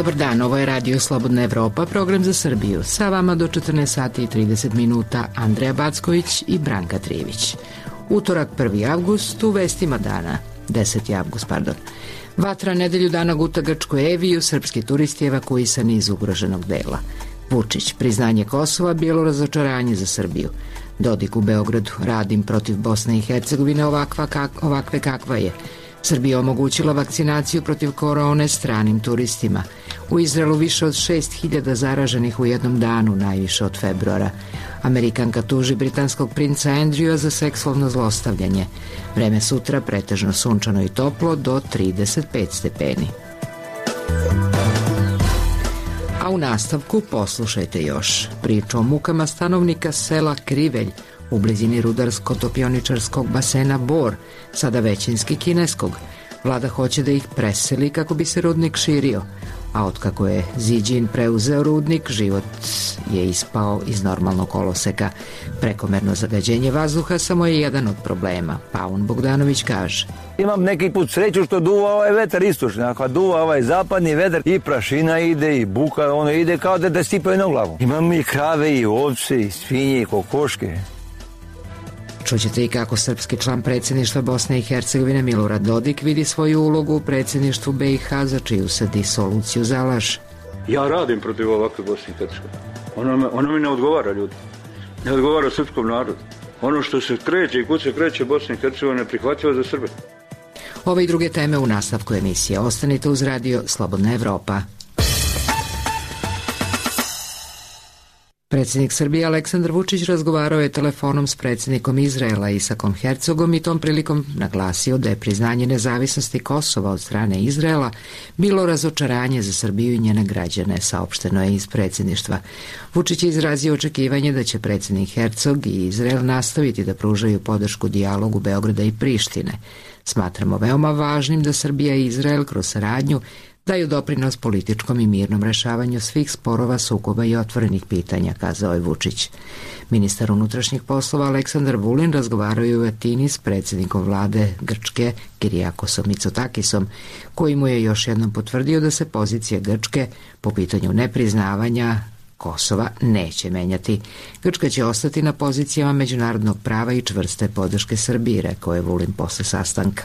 Dobar dan, ovo je Radio Slobodna Evropa, program za Srbiju. Sa vama do 14 sati i 30 minuta Andreja Backović i Branka Trivić. Utorak 1. avgust, u vestima dana, 10. avgust, pardon. Vatra nedelju dana guta Grčku Eviju, srpski turisti evakuisani iz ugroženog dela. Vučić, priznanje Kosova, bijelo razočaranje za Srbiju. Dodik u Beogradu, radim protiv Bosne i Hercegovine ovakve kakva je. Srbija omogućila vakcinaciju protiv korone stranim turistima. U Izraelu više od 6.000 zaraženih u jednom danu, najviše od februara. Amerikanka tuži britanskog princa Andrewa za seksualno zlostavljanje. Vreme sutra pretežno sunčano i toplo do 35 stepeni. A u nastavku poslušajte još priču o mukama stanovnika sela Krivelj u blizini rudarsko-topioničarskog basena Bor, sada većinski kineskog. Vlada hoće da ih preseli kako bi se rudnik širio, a otkako je Ziđin preuzeo rudnik, život je ispao iz normalnog koloseka. Prekomerno zagađenje vazduha samo je jedan od problema, Paun Bogdanović kaže. Imam neki put sreću što duva ovaj vetar istočni, ako duva ovaj zapadni vetar i prašina ide i buka, ono ide kao da stipaju na glavu. Imam i krave i ovce i svinje i kokoške. Čućete i kako srpski član predsjedništva Bosne i Hercegovine Milorad Dodik vidi svoju ulogu u predsjedništvu BiH, za čiju se disoluciju zalaže. Ja radim protiv ovakve Bosne i Hercegovine. Ono mi ne odgovara, ljudi. Ne odgovara srpskom narodu. Ono što se kreće i kud se kreće Bosne i Hercegovine prihvatljivo za Srbe. Ove i druge teme u nastavku emisije. Ostanite uz Radio Slobodna Evropa. Predsjednik Srbije Aleksandar Vučić razgovarao je telefonom s predsjednikom Izraela Isakom Herzogom i tom prilikom naglasio da je priznanje nezavisnosti Kosova od strane Izraela bilo razočaranje za Srbiju i njene građane, saopšteno je iz predsjedništva. Vučić je izrazio očekivanje da će predsjednik Herzog i Izrael nastaviti da pružaju podršku dijalogu Beograda i Prištine. Smatramo veoma važnim da Srbija i Izrael kroz saradnju daju doprinos političkom i mirnom rešavanju svih sporova, sukoba i otvorenih pitanja, kazao je Vučić. Ministar unutrašnjih poslova Aleksandar Vulin razgovarao je u Atini s predsjednikom vlade Grčke Kirijakosom Mitsotakisom, koji mu je još jednom potvrdio da se pozicija Grčke po pitanju nepriznavanja Kosova neće menjati. Grčka će ostati na pozicijama međunarodnog prava i čvrste podrške Srbiji, rekao je Vulin posle sastanka.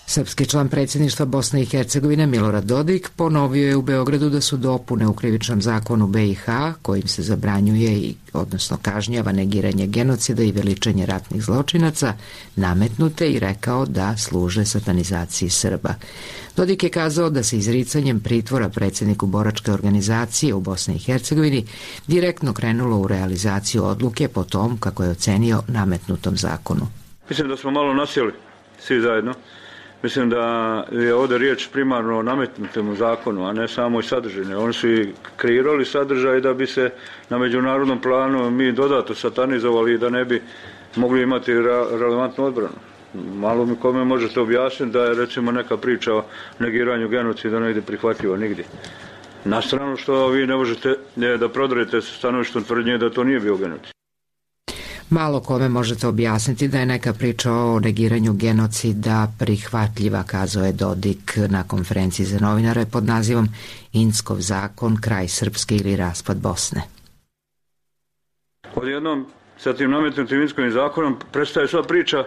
Srpski član predsjedništva Bosne i Hercegovine Milorad Dodik ponovio je u Beogradu da su dopune u krivičnom zakonu BiH, kojim se zabranjuje odnosno kažnjava negiranje genocida i veličanje ratnih zločinaca, nametnute i rekao da služe satanizaciji Srba. Dodik je kazao da se izricanjem pritvora predsjedniku boračke organizacije u Bosni i Hercegovini direktno krenulo u realizaciju odluke po tom, kako je ocenio, nametnutom zakonu. Mislim da smo malo nasjeli svi zajedno. Mislim da je ovdje riječ primarno o nametnutom zakonu, a ne samo i sadržine. Oni su i kreirali sadržaj da bi se na međunarodnom planu mi dodatno satanizovali i da ne bi mogli imati relevantnu odbranu. Malo mi kome možete objasniti da je recimo neka priča o negiranju genocida negdje prihvatljiva, nigdje. Na stranu što vi ne možete da prodrete sa stanovištom tvrdnje da to nije bio genocid. Malo kome možete objasniti da je neka priča o negiranju genocida prihvatljiva, kazao je Dodik na konferenciji za novinare pod nazivom Inckov zakon, kraj Srpske ili raspad Bosne. Odjednom sa tim nametnutim Inckovim zakonom prestaje sva priča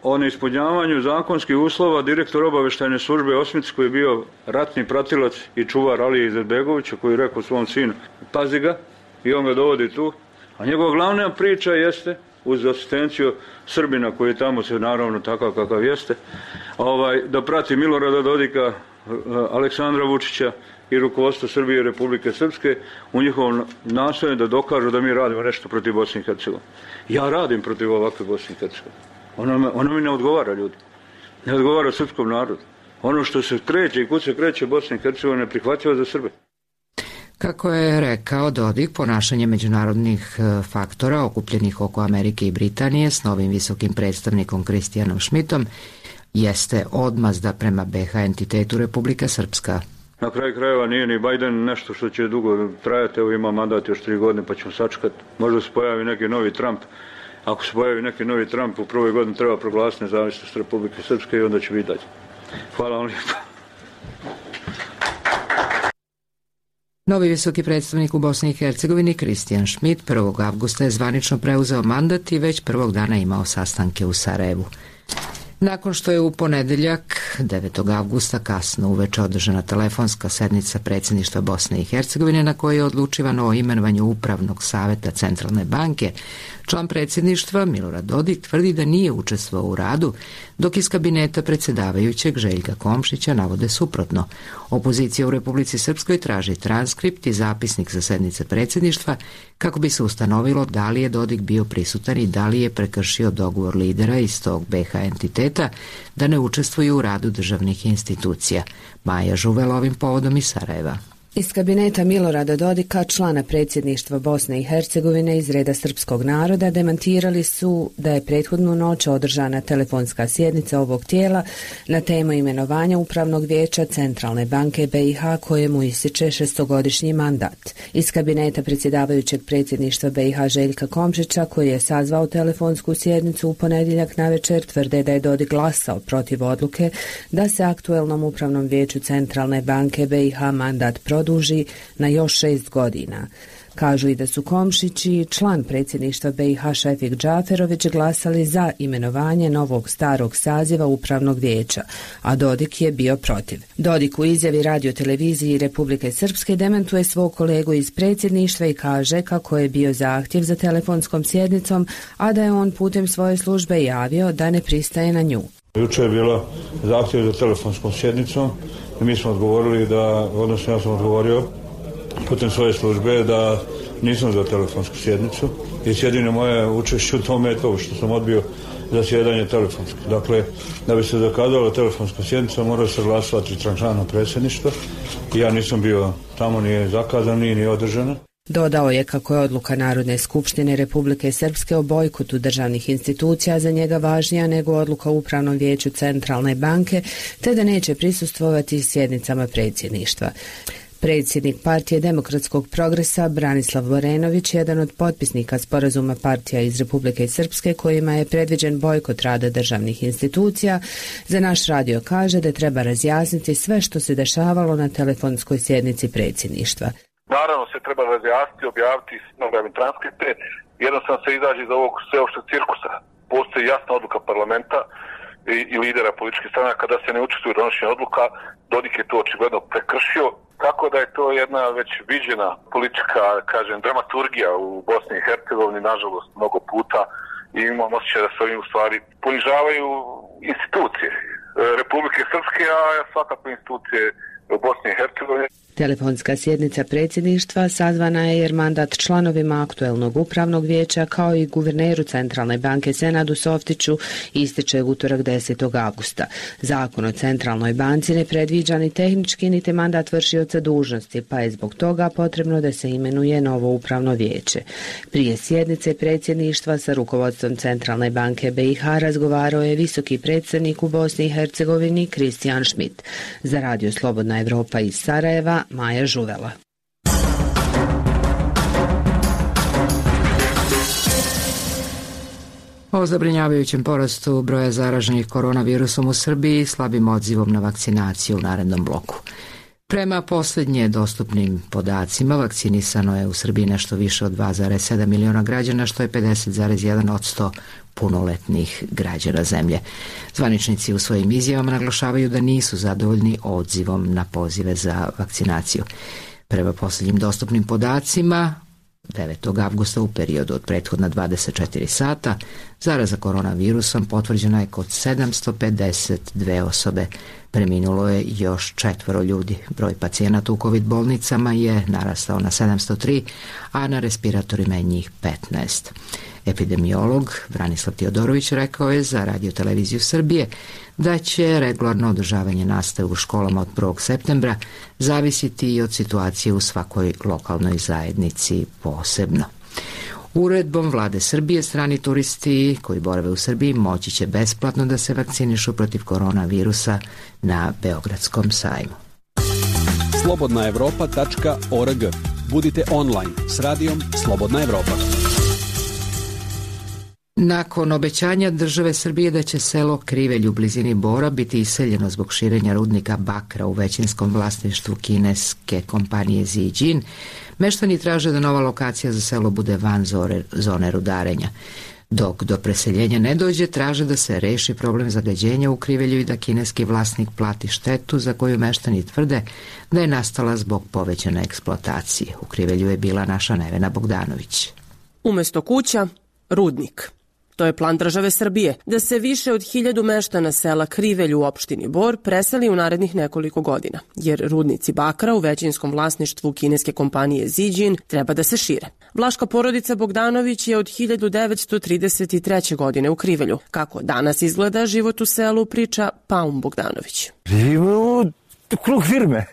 o neispunjavanju zakonskih uslova. Direktor obavještajne službe Osmic, koji je bio ratni pratilac i čuvar Alije Izetbegovića, koji je rekao svom sinu pazi ga, i on ga dovodi tu. A njegova glavna priča jeste, uz asistenciju Srbina koji je tamo se naravno takav kakav jeste, da prati Milorada Dodika, Aleksandra Vučića i rukovodstvo Srbije i Republike Srpske u njihovom nastojanju da dokažu da mi radimo nešto protiv Bosne i Hercegovine. Ja radim protiv ovakve Bosne i Hercegovine. Ono mi ne odgovara, ljudi. Ne odgovara srpskom narodu. Ono što se kreće i kud se kreće Bosne i Hercegovine je prihvatljivo za Srbe. Kako je rekao Dodik, ponašanje međunarodnih faktora okupljenih oko Amerike i Britanije s novim visokim predstavnikom Kristijanom Šmitom jeste odmazda prema BiH entitetu Republika Srpska. Na kraju krajeva nije ni Biden nešto što će dugo trajati, evo ima mandat još 3 godine pa ćemo sačekati. Možda se pojavi neki novi Trump. Ako se pojavi neki novi Trump u prvoj godini treba proglasiti nezavisnost Republike Srpske i onda će vidjeti. Hvala vam lijepo. Novi visoki predstavnik u Bosni i Hercegovini Kristijan Šmit 1. avgusta je zvanično preuzeo mandat i već prvog dana imao sastanke u Sarajevu. Nakon što je u ponedeljak 9. avgusta kasno uveče održana telefonska sednica predsjedništva Bosne i Hercegovine na kojoj je odlučivano o imenovanju upravnog savjeta Centralne banke, član predsjedništva Milorad Dodik tvrdi da nije učestvovao u radu, dok iz kabineta predsjedavajućeg Željka Komšića navode suprotno. Opozicija u Republici Srpskoj traži transkript i zapisnik za sednice predsjedništva kako bi se ustanovilo da li je Dodik bio prisutan i da li je prekršio dogovor lidera iz tog BH entiteta da ne učestvuju u radu državnih institucija. Maja Žuvela ovim povodom iz Sarajeva. Iz kabineta Milorada Dodika, člana predsjedništva Bosne i Hercegovine iz reda srpskog naroda, demantirali su da je prethodnu noć održana telefonska sjednica ovog tijela na temu imenovanja Upravnog vijeća Centralne banke BiH kojemu ističe 6-godišnji mandat. Iz kabineta predsjedavajućeg predsjedništva BiH Željka Komšića, koji je sazvao telefonsku sjednicu u ponedjeljak navečer, tvrde da je Dodik glasao protiv odluke da se aktuelnom Upravnom vijeću Centralne banke BiH mandat produži na još 6 godina. Kažu i da su Komšić i član predsjedništva BiH Šefik Džaferović glasali za imenovanje novog starog saziva Upravnog vijeća, a Dodik je bio protiv. Dodik u izjavi radioteleviziji Republike Srpske dementuje svog kolegu iz predsjedništva i kaže kako je bio zahtjev za telefonskom sjednicom, a da je on putem svoje službe javio da ne pristaje na nju. Jučer je bila zahtjev za telefonskom sjednicom i mi smo odgovorili odnosno ja sam odgovorio putem svoje službe da nisam za telefonsku sjednicu i jedino moje učešće u tome je to što sam odbio zasjedanje telefonsko. Dakle, da bi se zakazala telefonska sjednica mora se glasovati člana predsjedništva i ja nisam bio tamo, nije zakazan, nije održana. Dodao je kako je odluka Narodne skupštine Republike Srpske o bojkotu državnih institucija za njega važnija nego odluka u Upravnom vijeću Centralne banke, te da neće prisustvovati sjednicama predsjedništva. Predsjednik Partije demokratskog progresa Branislav Vorenović, jedan od potpisnika sporazuma partija iz Republike Srpske kojima je predviđen bojkot rada državnih institucija, za naš radio kaže da treba razjasniti sve što se dešavalo na telefonskoj sjednici predsjedništva. Naravno se treba razjasniti, objaviti transkripte, jednostavno se izađe iz ovog sveopšteg cirkusa. Postoji jasna odluka parlamenta i lidera političkih stranaka da se ne učestvuje u donošenju odluka. Dodik je to očigledno prekršio, tako da je to jedna već viđena politička, dramaturgija u Bosni i Hercegovini, nažalost, mnogo puta, i imam osjećaj da se ovim u stvari ponižavaju institucije Republike Srpske, a svakako institucije u Bosni i Hercegovini. Telefonska sjednica predsjedništva sazvana je jer mandat članovima aktuelnog upravnog vijeća kao i guverneru Centralne banke Senadu Softiću ističe utorak 10. avgusta. Zakon o Centralnoj banci ne predviđa ni tehnički niti mandat vršioca dužnosti, pa je zbog toga potrebno da se imenuje novo upravno vijeće. Prije sjednice predsjedništva sa rukovodstvom Centralne banke BiH razgovarao je visoki predstavnik u Bosni i Hercegovini Kristijan Šmit. Za radio Slobodna Evropa iz Sarajeva, Maja Žuvela. O zabrinjavajućem porastu broja zaraženih koronavirusom u Srbiji i slabim odzivom na vakcinaciju u narednom bloku. Prema posljednje dostupnim podacima, vakcinisano je u Srbiji nešto više od 2,7 miliona građana, što je 50,1% punoletnih građana zemlje. Zvaničnici u svojim izjavama naglašavaju da nisu zadovoljni odzivom na pozive za vakcinaciju. Prema posljednjim dostupnim podacima, 9. avgusta u periodu od prethodna 24 sata, zaraza koronavirusom potvrđena je kod 752 osobe. Preminulo je još 4 ljudi. Broj pacijenata u COVID bolnicama je narastao na 703, a na respiratorima je njih 15. Epidemiolog Branislav Teodorović rekao je za radioteleviziju Srbije da će regularno održavanje nastave u školama od 1. septembra zavisiti i od situacije u svakoj lokalnoj zajednici posebno. Uredbom vlade Srbije strani turisti koji borave u Srbiji moći će besplatno da se vakcinišu protiv koronavirusa na Beogradskom sajmu. slobodnaevropa.org. Budite online s radijom Slobodna Evropa. Nakon obećanja države Srbije da će selo Krivelj u blizini Bora biti iseljeno zbog širenja rudnika bakra u većinskom vlasništvu kineske kompanije Zijin, meštani traže da nova lokacija za selo bude van zone rudarenja. Dok do preseljenja ne dođe, traže da se reši problem zagađenja u Krivelju i da kineski vlasnik plati štetu za koju meštani tvrde da je nastala zbog povećane eksploatacije. U Krivelju je bila naša Nevena Bogdanović. Umesto kuća, rudnik. To je plan države Srbije, da se više od 1000 meštana sela Krivelj u opštini Bor preseli u narednih nekoliko godina, jer rudnici bakra u većinskom vlasništvu kineske kompanije Zijin treba da se šire. Vlaška porodica Bogdanović je od 1933. godine u Krivelju. Kako danas izgleda život u selu, priča Paun Bogdanović. Živimo u krug firme,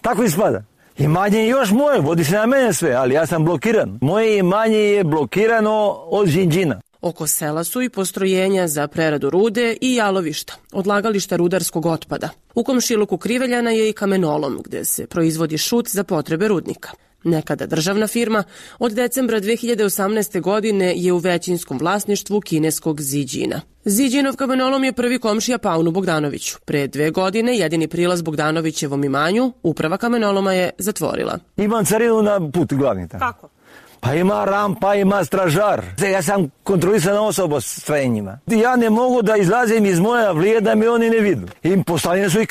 tako ispada. Imanje je još moje, vodi se na mene sve, ali ja sam blokiran. Moje imanje je blokirano od Zijina. Oko sela su i postrojenja za preradu rude i jalovišta, odlagališta rudarskog otpada. U komšiluku Kriveljana je i kamenolom, gde se proizvodi šut za potrebe rudnika. Nekada državna firma, od decembra 2018. godine je u većinskom vlasništvu kineskog Zijina. Zijinov kamenolom je prvi komšija Paunu Bogdanoviću. Pre 2 godine jedini prilaz Bogdanovićevom imanju uprava kamenoloma je zatvorila. Imam carinu na put glavni tamo. Kako? Pa ima rampa, ima stražar. Ja sam kontrolisana osoba s strenjima. Ja ne mogu da izlazim iz moja vlije da mi oni ne vidu. I postavljene su i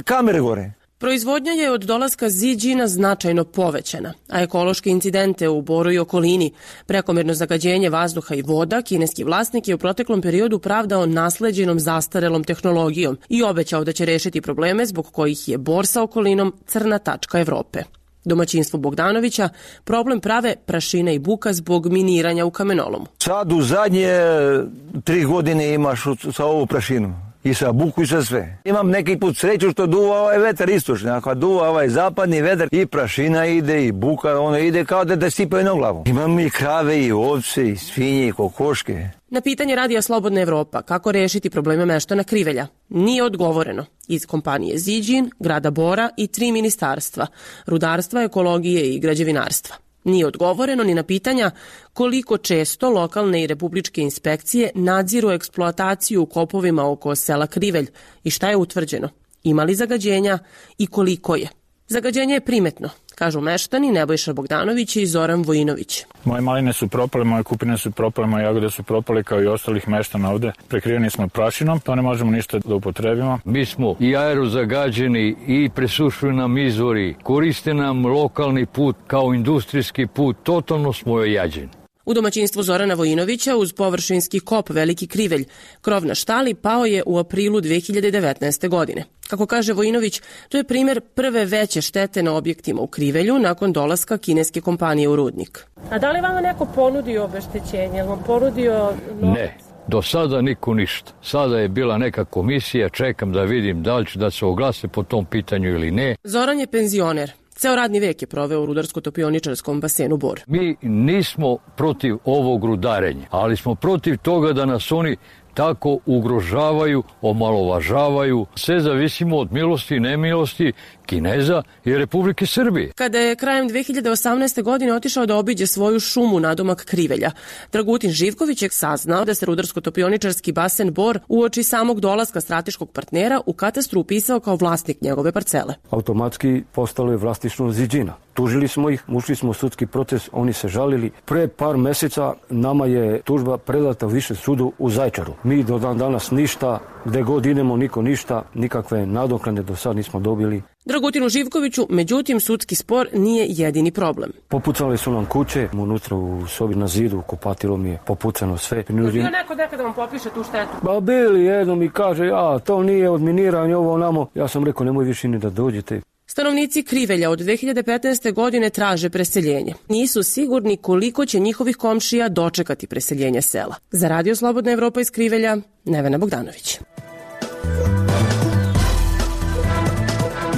kamere gore. Proizvodnja je od dolaska Zijina značajno povećana, a ekološke incidente u Boru i okolini, prekomerno zagađenje vazduha i voda, kineski vlasnik je u proteklom periodu pravdao nasleđenom zastarelom tehnologijom i obećao da će rešiti probleme zbog kojih je Bor sa okolinom crna tačka Evrope. Domaćinstvo Bogdanovića problem prave prašina i buka zbog miniranja u kamenolomu. Sad u zadnje 3 godine imaš sa ovu prašinu. I sa buku i sa sve. Imam neki put sreću što duva ovaj vetar istočni, a kad duva ovaj zapadni vetar i prašina ide i buka, ono ide kao da sipaju na glavu. Imam i krave i ovce i svinje i kokoške. Na pitanje Radija Slobodna Evropa kako rešiti probleme meštana Krivelja nije odgovoreno. Iz kompanije Zijin, grada Bora i 3 ministarstva, rudarstva, ekologije i građevinarstva. Nije odgovoreno ni na pitanja koliko često lokalne i republičke inspekcije nadziru eksploataciju u kopovima oko sela Krivelj i šta je utvrđeno, ima li zagađenja i koliko je. Zagađenje je primetno, kažu meštani Nebojša Bogdanović i Zoran Vojinović. Moje maline su propale, moje kupine su propale, moje jagode su propale kao i ostalih meštana ovde. Prekriveni smo prašinom, to ne možemo ništa da upotrebimo. Mi smo i aerozagađeni i presušuju nam izvori, koriste nam lokalni put kao industrijski put, totalno smo ojađeni. U domaćinstvu Zorana Vojinovića uz površinski kop Veliki Krivelj, krov na štali pao je u aprilu 2019. godine. Kako kaže Vojinović, to je primjer prve veće štete na objektima u Krivelju nakon dolaska kineske kompanije u rudnik. A da li vam neko ponudio obeštećenje? Vam ponudio novac? Ne, do sada niko ništa. Sada je bila neka komisija, čekam da vidim da li će da se oglase po tom pitanju ili ne. Zoran je penzioner. Ceo radni vek je proveo u rudarsko-topioničarskom basenu Bor. Mi nismo protiv ovog rudarenja, ali smo protiv toga da nas oni tako ugrožavaju, omalovažavaju. Sve zavisimo od milosti i nemilosti Kineza i Republike Srbije. Kada je krajem 2018. godine otišao da obiđe svoju šumu nadomak Krivelja, Dragutin Živković je saznao da se rudarsko-topioničarski basen Bor uoči samog dolaska strateškog partnera u katastru upisao kao vlasnik njegove parcele. Automatski postalo je vlasništvo Zijina. Tužili smo ih, ušli smo u sudski proces, oni se žalili. Pre par meseca nama je tužba predata u Višem sudu u Zaječaru. Mi do dan danas ništa, gde god idemo niko ništa, nikakve nadoknade do sad nismo dobili. Dragutinu Živkoviću, međutim, sudski spor nije jedini problem. Popucali su nam kuće, unutra u sobi na zidu, kupatilo mi je popucano sve. Je bio neko nekada vam popiše tu štetu? Ba bili, jednom mi kaže, to nije od miniranja, ovo namo. Ja sam rekao, nemoj više ni da dođete. Stanovnici Krivelja od 2015. godine traže preseljenje. Nisu sigurni koliko će njihovih komšija dočekati preseljenje sela. Za Radio Slobodna Evropa iz Krivelja, Nevena Bogdanović.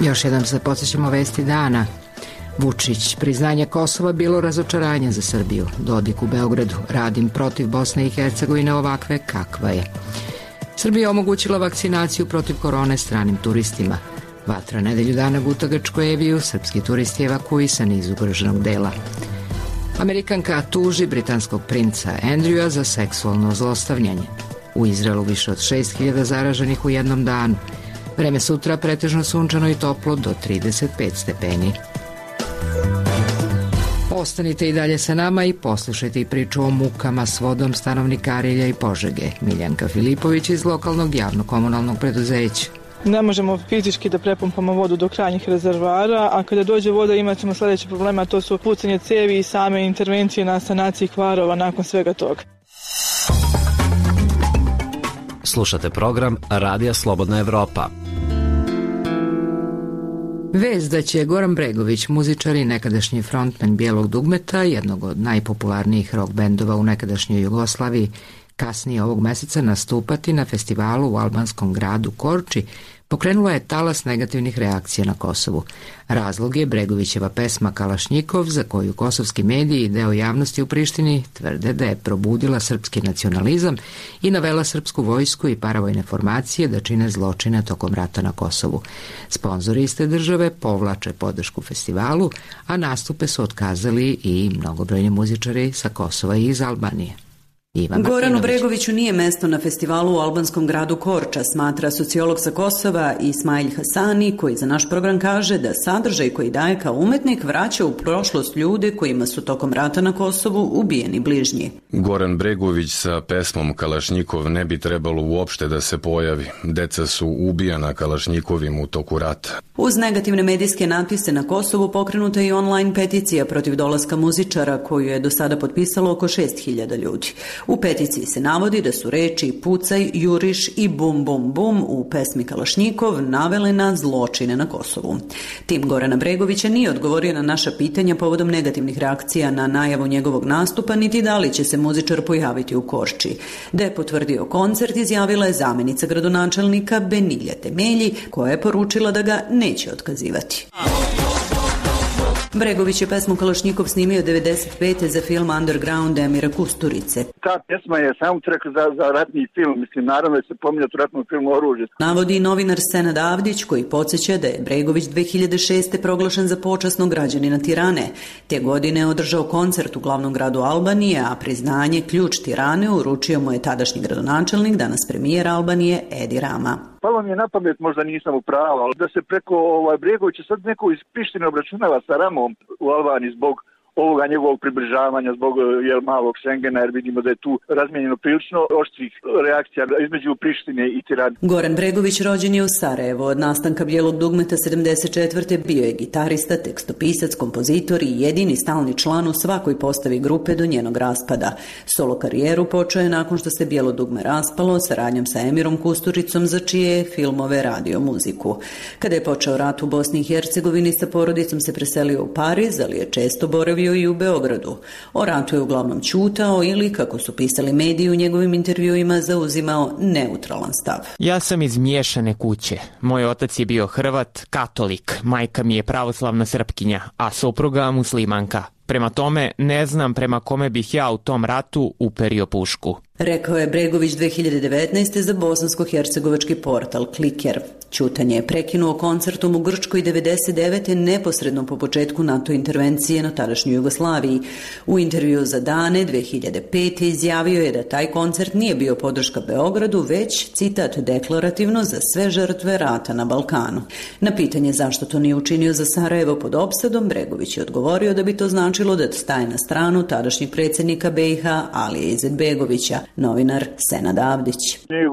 Još jednom se podsjećamo vesti dana. Vučić, priznanje Kosova bilo razočaranje za Srbiju. Dodik u Beogradu, radim protiv Bosne i Hercegovine ovakve kakva je. Srbija omogućila vakcinaciju protiv korone stranim turistima. Vatra nedelju dana guta Grčkoj Eviju, srpski turisti evakuisani iz ugroženog dela. Amerikanka tuži britanskog princa Andrewa za seksualno zlostavljanje. U Izraelu više od 6.000 zaraženih u jednom danu. Vreme sutra pretežno sunčano i toplo do 35 stepeni. Ostanite i dalje sa nama i poslušajte priču o mukama s vodom stanovnika Arilja i Požege. Miljanka Filipović iz lokalnog javno-komunalnog preduzeća. Ne možemo fizički da prepumpamo vodu do krajnjih rezervoara, a kada dođe voda imat ćemo sljedeće problema, to su pucanje cevi i same intervencije na sanaciji kvarova nakon svega toga. Slušate program Radija Slobodna Evropa. Vest da će Goran Bregović, muzičar i nekadašnji frontman Bijelog dugmeta, jednog od najpopularnijih rock bendova u nekadašnjoj Jugoslaviji, kasnije ovog meseca nastupati na festivalu u albanskom gradu Korči, pokrenula je talas negativnih reakcija na Kosovu. Razlog je Bregovićeva pesma Kalašnjikov, za koju kosovski mediji i deo javnosti u Prištini tvrde da je probudila srpski nacionalizam i navela srpsku vojsku i paravojne formacije da čine zločine tokom rata na Kosovu. Sponzori iste države povlače podršku festivalu, a nastupe su otkazali i mnogobrojni muzičari sa Kosova i iz Albanije. Goranu Bregoviću nije mesto na festivalu u albanskom gradu Korča, smatra sociolog sa Kosova Ismail Hasani, koji za naš program kaže da sadržaj koji daje kao umetnik vraća u prošlost ljude kojima su tokom rata na Kosovu ubijeni bližnji. Goran Bregović sa pesmom Kalašnjikov ne bi trebalo uopšte da se pojavi. Deca su ubijana Kalašnjikovim u toku rata. Uz negativne medijske natpise na Kosovu pokrenuta i online peticija protiv dolaska muzičara, koju je do sada potpisalo oko 6.000 ljudi. U peticiji se navodi da su reči pucaj, juriš i bum bum bum u pesmi Kalašnjikov navele na zločine na Kosovu. Tim Gorana Bregovića nije odgovorio na naša pitanja povodom negativnih reakcija na najavu njegovog nastupa, niti da li će se muzičar pojaviti u Korči. Da je potvrdio koncert, izjavila je zamjenica gradonačelnika Benilja Temelji, koja je poručila da ga neće otkazivati. Bregović je pesmu Kalašnjikov snimio 95. za film Underground Emira Kusturice. Ta pjesma je soundtrack za ratni film, mislim, naravno je se pominjati u ratnom filmu Oružje. Navodi i novinar Senad Avdić, koji podsjeća da je Bregović 2006. proglašen za počasnog građanina Tirane. Te godine je održao koncert u glavnom gradu Albanije, a priznanje ključ Tirane uručio mu je tadašnji gradonačelnik, danas premijer Albanije Edi Rama. Palo mi je na pamet, možda nisam u pravu, ali da se preko Bregovića sad neko iz Prištine obračunava sa Ramom u Albaniji zbog ovoga njegovog približavanja, zbog malog Schengena, jer vidimo da je tu razmijenjeno prilično oštrih reakcija između Prištine i Tirane. Goran Bregović rođen je u Sarajevu. Od nastanka Bijelog dugmeta 74. bio je gitarista, tekstopisac, kompozitor i jedini stalni član u svakoj postavi grupe do njenog raspada. Solo karijeru počeo je nakon što se Bijelo dugme raspalo saradnjom sa Emirom Kusturicom, za čije je filmove radio muziku. Kada je počeo rat u Bosni i Hercegovini, sa porodicom se preselio u Pariz, ali je često boravio i u Beogradu. O ratu je uglavnom ćutao ili, kako su pisali mediji u njegovim intervjuima, zauzimao neutralan stav. Ja sam iz miješane kuće. Moj otac je bio Hrvat, katolik, majka mi je pravoslavna Srpkinja, a supruga muslimanka. Prema tome, ne znam prema kome bih ja u tom ratu uperio pušku. Rekao je Bregović 2019. za bosansko-hercegovački portal Kliker. Ćutanje je prekinuo koncertom u Grčkoj 99. neposredno po početku NATO intervencije na tadašnjoj Jugoslaviji. U intervju za Dane 2005. izjavio je da taj koncert nije bio podrška Beogradu, već, citat, deklarativno za sve žrtve rata na Balkanu. Na pitanje zašto to nije učinio za Sarajevo pod opsadom, Bregović je odgovorio da bi to značilo da staje na stranu tadašnjeg predsjednika BiH Alije Izetbegovića. Novinar Senad Avdić.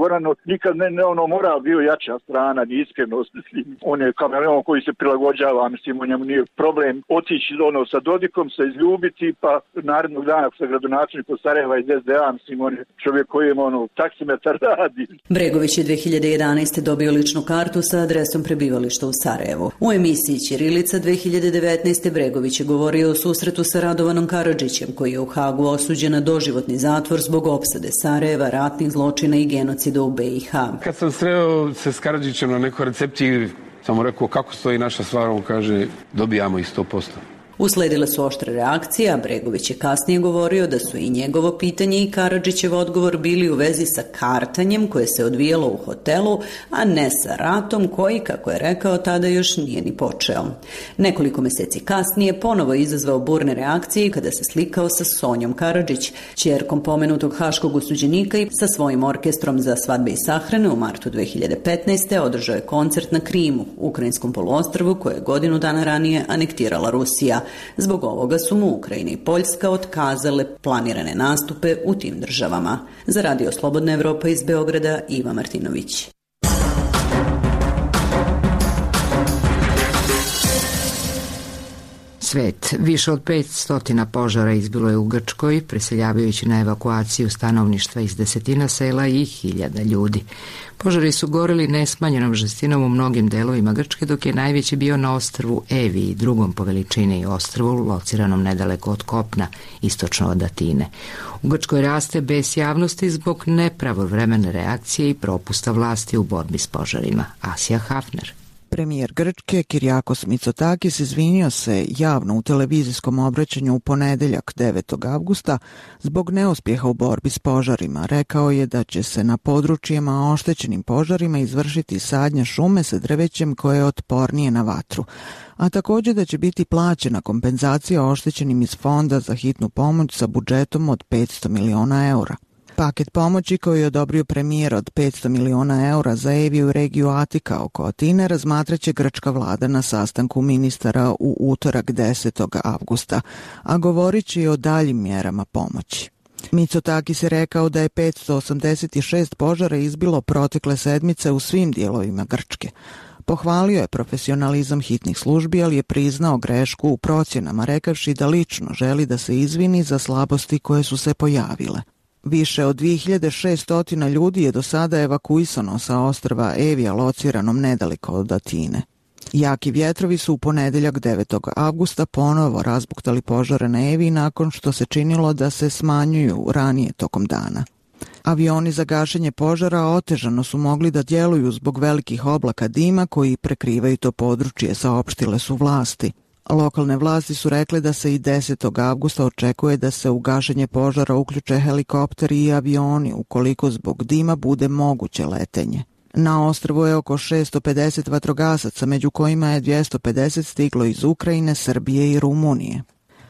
Goran nikad ne moral bio jača strana, ni iskrenost, mislim. On je kameleon koji se prilagođava, mislim, o njemu nije problem otići sa Dodikom, se izljubiti, pa narednog dana sa gradonačelnikom Sarajeva iz SDA, mislim, on je čovjek kojem taksimetar radi. Bregović je 2011. dobio ličnu kartu sa adresom prebivališta u Sarajevu. U emisiji Ćirilica 2019. Bregović je govorio o susretu sa Radovanom Karadžićem, koji je u Hagu osuđen na doživotni zatvor zbog opsade Sarajeva, ratnih zločina i genocida u BiH. Kad sam sreo se s Karadžićem na nekoj recepciji, sam mu rekao kako stoji naša stvar, on kaže dobijamo ih 100%. Usledile su oštre reakcije, a Bregović je kasnije govorio da su i njegovo pitanje i Karadžićev odgovor bili u vezi sa kartanjem koje se odvijalo u hotelu, a ne sa ratom koji, kako je rekao, tada još nije ni počeo. Nekoliko meseci kasnije ponovo je izazvao burne reakcije kada se slikao sa Sonjom Karadžić, ćerkom pomenutog haškog osuđenika, i sa svojim orkestrom za svadbe i sahrane u martu 2015. održao je koncert na Krimu, ukrajinskom poluostrvu koje je godinu dana ranije anektirala Rusija. Zbog ovoga su mu Ukrajina i Poljska otkazale planirane nastupe u tim državama. Za Radio Slobodna Evropa iz Beograda, Iva Martinović. Svet. Više od 500 požara izbilo je u Grčkoj, preseljavajući na evakuaciju stanovništva iz desetina sela i hiljada ljudi. Požari su goreli nesmanjenom žestinom u mnogim delovima Grčke, dok je najveći bio na ostrvu Evi i drugom po veličini ostrvu, lociranom nedaleko od kopna, istočno od Atine. U Grčkoj raste bes javnosti zbog nepravovremene reakcije i propusta vlasti u borbi s požarima. Asija Hafner. Premijer Grčke Kyriakos Mitsotakis izvinio se javno u televizijskom obraćanju u ponedeljak 9. avgusta zbog neuspjeha u borbi s požarima. Rekao je da će se na područjima oštećenim požarima izvršiti sadnja šume sa drvećem koje je otpornije na vatru, a također da će biti plaćena kompenzacija oštećenim iz fonda za hitnu pomoć sa budžetom od 500 miliona eura. Paket pomoći koji je odobrio premijer od 500 miliona eura za Eviju i regiju Atika oko Atine razmatraće grčka vlada na sastanku ministara u utorak 10. avgusta, a govorit će i o daljim mjerama pomoći. Mitsotakis je rekao da je 586 požara izbilo protekle sedmice u svim dijelovima Grčke. Pohvalio je profesionalizam hitnih službi, ali je priznao grešku u procjenama, rekavši da lično želi da se izvini za slabosti koje su se pojavile. Više od 2600 ljudi je do sada evakuisano sa ostrva Evija, lociranom nedaleko od Atine. Jaki vjetrovi su u ponedeljak 9. avgusta ponovo razbuktali požare na Eviji nakon što se činilo da se smanjuju ranije tokom dana. Avioni za gašenje požara otežano su mogli da djeluju zbog velikih oblaka dima koji prekrivaju to područje, saopštile su vlasti. Lokalne vlasti su rekle da se i 10. avgusta očekuje da se u gašenje požara uključe helikopteri i avioni ukoliko zbog dima bude moguće letenje. Na ostrvu je oko 650 vatrogasaca, među kojima je 250 stiglo iz Ukrajine, Srbije i Rumunije.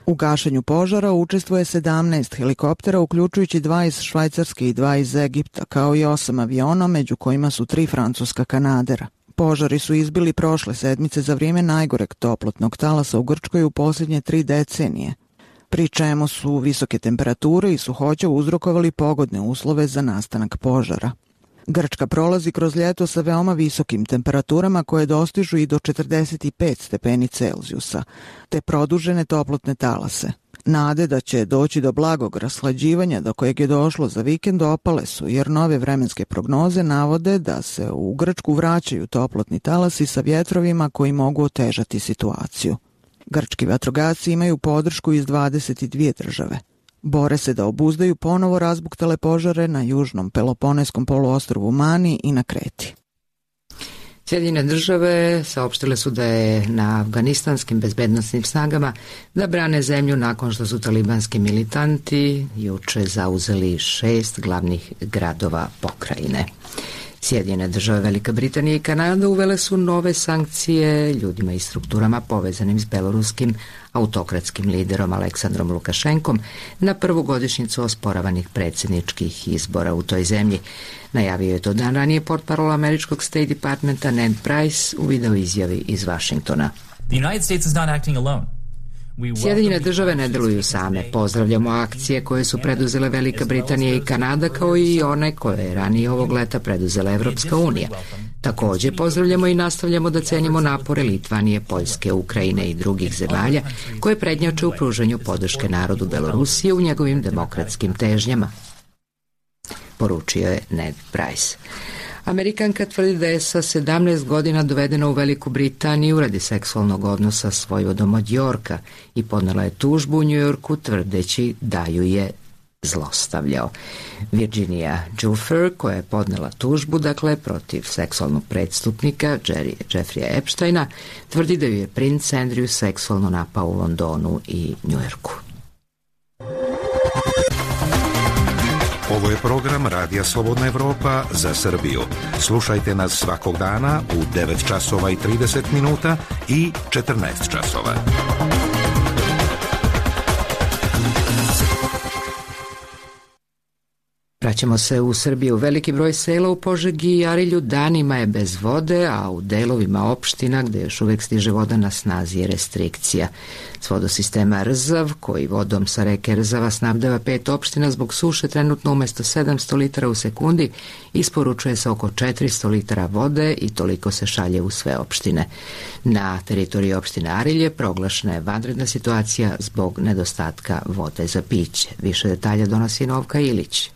U gašenju požara učestvuje 17 helikoptera, uključujući 2 iz Švajcarske i 2 iz Egipta, kao i 8 aviona, među kojima su 3 francuska kanadera. Požari su izbili prošle sedmice za vrijeme najgoreg toplotnog talasa u Grčkoj u posljednje 3 decenije, pri čemu su visoke temperature i suhoća uzrokovali pogodne uslove za nastanak požara. Grčka prolazi kroz ljeto sa veoma visokim temperaturama koje dostižu i do 45 stepeni Celzijusa, te produžene toplotne talase. Nade da će doći do blagog rashlađivanja do kojeg je došlo za vikend opale su, jer nove vremenske prognoze navode da se u Grčku vraćaju toplotni talasi sa vjetrovima koji mogu otežati situaciju. Grčki vatrogasci imaju podršku iz 22 države. Bore se da obuzdaju ponovo razbuktale požare na južnom Peloponeskom poluostrvu Mani i na Kreti. Sjedinjene države saopštile su da je na afganistanskim bezbednosnim snagama da brane zemlju nakon što su talibanski militanti juče zauzeli 6 glavnih gradova pokrajine. Sjedinjene države, Velika Britanija i Kanada uvele su nove sankcije ljudima i strukturama povezanim s beloruskim autokratskim liderom Aleksandrom Lukašenkom na prvu godišnjicu osporavanih predsjedničkih izbora u toj zemlji. Najavio je to dan ranije portparol američkog State Departmenta Ned Price u video izjavi iz Vašingtona. The United States is not acting alone. Sjedinjene države ne deluju same. Pozdravljamo akcije koje su preduzele Velika Britanija i Kanada, kao i one koje je ranije ovog leta preduzela Evropska unija. Također pozdravljamo i nastavljamo da cenimo napore Litvanije, Poljske, Ukrajine i drugih zemalja koje prednjače u pružanju podrške narodu Belorusije u njegovim demokratskim težnjama, poručio je Ned Price. Amerikanka tvrdi da je sa 17 godina dovedena u Veliku Britaniju radi seksualnog odnosa s vojvodom od Yorka i podnela je tužbu u New Yorku tvrdeći da ju je zlostavljao. Virginia Giuffre, koja je podnela tužbu, protiv seksualnog prestupnika Jeffreya Epsteina, tvrdi da ju je princ Andrew seksualno napao u Londonu i Njujorku. Ovo je program Radija Slobodna Evropa za Srbiju. Slušajte nas svakog dana u 9 časova i 30 minuta i 14 časova. Vraćamo se u Srbiju. Veliki broj sela u Požegi i Arilju danima je bez vode, a u delovima opština gde još uvek stiže voda na snazi je restrikcija. S vodosistema Rzav, koji vodom sa reke Rzava snabdeva 5 opština, zbog suše trenutno umesto 700 litara u sekundi isporučuje se oko 400 litara vode i toliko se šalje u sve opštine. Na teritoriji opštine Arilje proglašena je vanredna situacija zbog nedostatka vode za piće. Više detalja donosi Novka Ilić.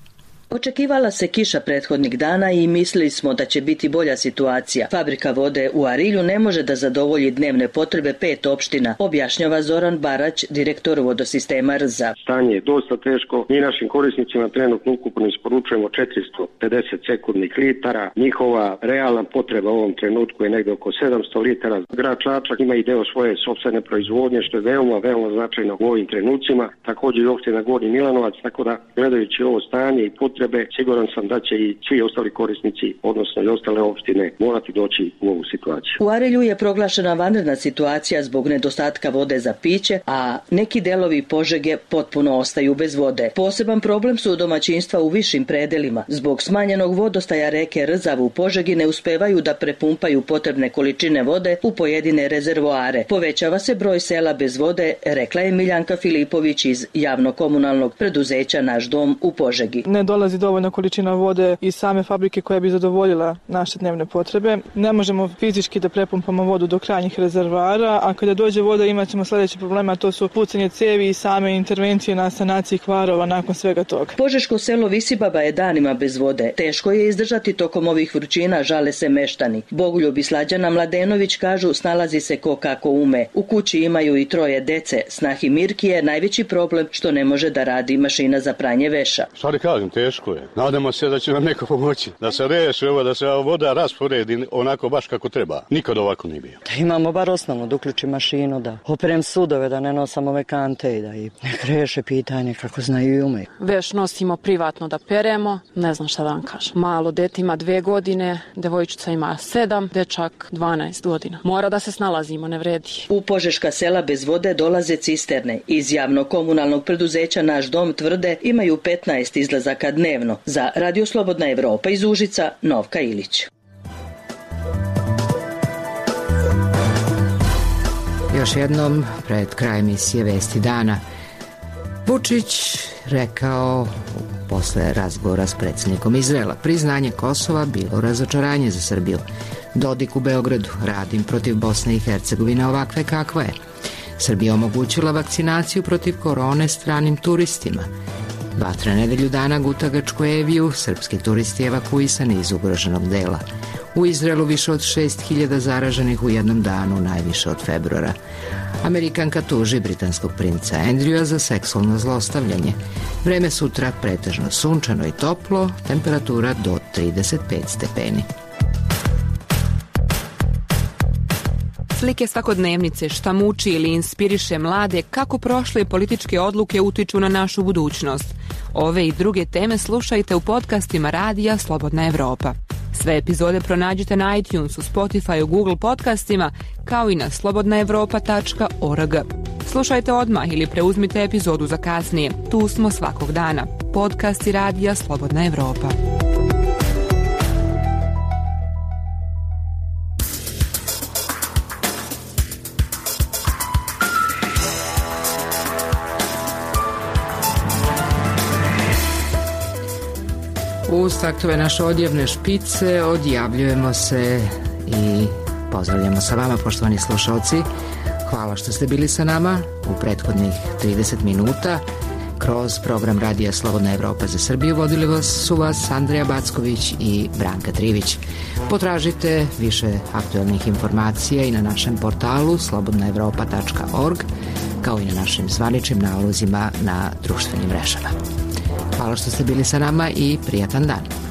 Očekivala se kiša prethodnih dana i mislili smo da će biti bolja situacija. Fabrika vode u Arilju ne može da zadovolji dnevne potrebe 5 opština, objašnjava Zoran Barać, direktor vodosistema Rza. Stanje je dosta teško. Mi našim korisnicima trenutno ukupno isporučujemo 450 sekundnih litara. Njihova realna potreba u ovom trenutku je negde oko 700 litara. Grad Čačak ima i deo svoje sopstvene proizvodnje, što je veoma značajno u ovim trenucima. Također i opština Gornji Milanovac, tako da gledajući ovo stanje i potrebe, siguran sam da će i svi ostali korisnici, odnosno i ostale opštine, morati doći u ovu situaciju. U Arilju je proglašena vanredna situacija zbog nedostatka vode za piće, a neki delovi Požege potpuno ostaju bez vode. Poseban problem su domaćinstva u višim predelima. Zbog smanjenog vodostaja reke Rzav u Požegi ne uspevaju da prepumpaju potrebne količine vode u pojedine rezervoare. Povećava se broj sela bez vode, rekla je Miljanka Filipović iz javno-komunalnog preduzeća Naš dom u Požegi. Ne dolazi dovoljna količina vode iz same fabrike koja bi zadovoljila naše dnevne potrebe. Ne možemo fizički da prepumpamo vodu do krajnjih rezervoara, a kada dođe voda imat ćemo sljedeće probleme, a to su pucanje cevi i same intervencije na sanaciji kvarova nakon svega toga. Požeško selo Visibaba je danima bez vode. Teško je izdržati tokom ovih vrućina, žale se meštani. Bogoljub i Slađana Mladenović kažu snalazi se ko kako ume. U kući imaju i 3 dece. Snahi Mirki je najveći problem što ne može da radi mašina za pranje veša. Šta kažem, teško je. Nadamo se da će nam neko pomoći. Da se reši ovo, da se voda rasporedi onako baš kako treba. Nikad ovako nije bio. Da imamo bar osnovno, da uključim mašinu, da operem sudove, da ne nosam ove kante i da ih nek reše pitanje kako znaju i umeju. Veš nosimo privatno da peremo, ne znam šta da vam kažem. Malo dete ima 2 godine, devojčica ima 7, dečak 12 godina. Mora da se snalazimo, ne vredi. U požeška sela bez vode dolaze cisterne. Iz javno-komunalnog preduzeća Naš dom tvrde imaju 15 izlazaka dnevno. Za Radio Slobodna Evropa iz Užica, Novka Ilić. Još jednom, pred kraj emisije Vesti dana, Vučić rekao posle razgovora s predsjednikom Izraela: priznanje Kosova bilo razočaranje za Srbiju. Dodik u Beogradu: radim protiv Bosne i Hercegovine ovakve kakva je. Srbija omogućila vakcinaciju protiv korone stranim turistima. Vatra nedelju dana guta Grčku Eviju, srpski turisti evakuisani iz ugroženog dela. U Izraelu više od 6.000 zaraženih u jednom danu, najviše od februara. Amerikanka tuži britanskog princa Andrewa za seksualno zlostavljanje. Vreme sutra pretežno sunčano i toplo, temperatura do 35 stepeni. Slike svakodnevnice, šta muči ili inspiriše mlade, kako prošle političke odluke utiču na našu budućnost. Ove i druge teme slušajte u podcastima Radija Slobodna Evropa. Sve epizode pronađite na iTunesu, Spotify, Google podcastima, kao i na slobodnaevropa.org. Slušajte odmah ili preuzmite epizodu za kasnije. Tu smo svakog dana. Podcasti Radija Slobodna Evropa. Uz taktove naše odjevne špice odjavljujemo se i pozdravljamo sa vama, poštovani slušalci. Hvala što ste bili sa nama u prethodnih 30 minuta. Kroz program Radija Slobodna Evropa za Srbiju vodili su vas Andreja Backović i Branka Trivić. Potražite više aktualnih informacija i na našem portalu slobodnaevropa.org, kao i na našim zvaničnim nalozima na društvenim mrežama. Hvala što ste bili sa nama i prijatan dan.